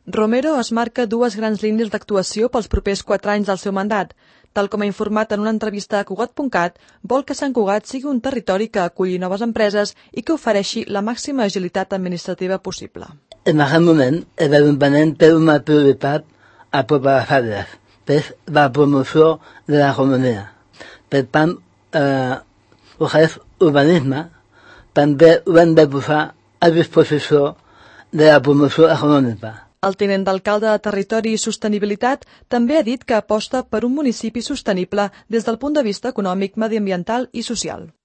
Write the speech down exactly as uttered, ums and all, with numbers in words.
Romero es marca dues grans línies d'actuació pels propers quatre anys del seu mandat. Tal com ha informat en una entrevista a Cugat punt cat, vol que Sant Cugat sigui un territori que aculli noves empreses i que ofereixi la màxima agilitat administrativa possible. En aquest moment, el Ajuntament té una prioritat a totes les àrees, que és la promoció de l'economia. Per tant, eh, el que és urbanisme també ho hem de posar a disposició de la promoció econòmica. El tinent d'alcalde de Territori i Sostenibilitat també ha dit que aposta per un municipi sostenible des del punt de vista econòmic, mediambiental i social.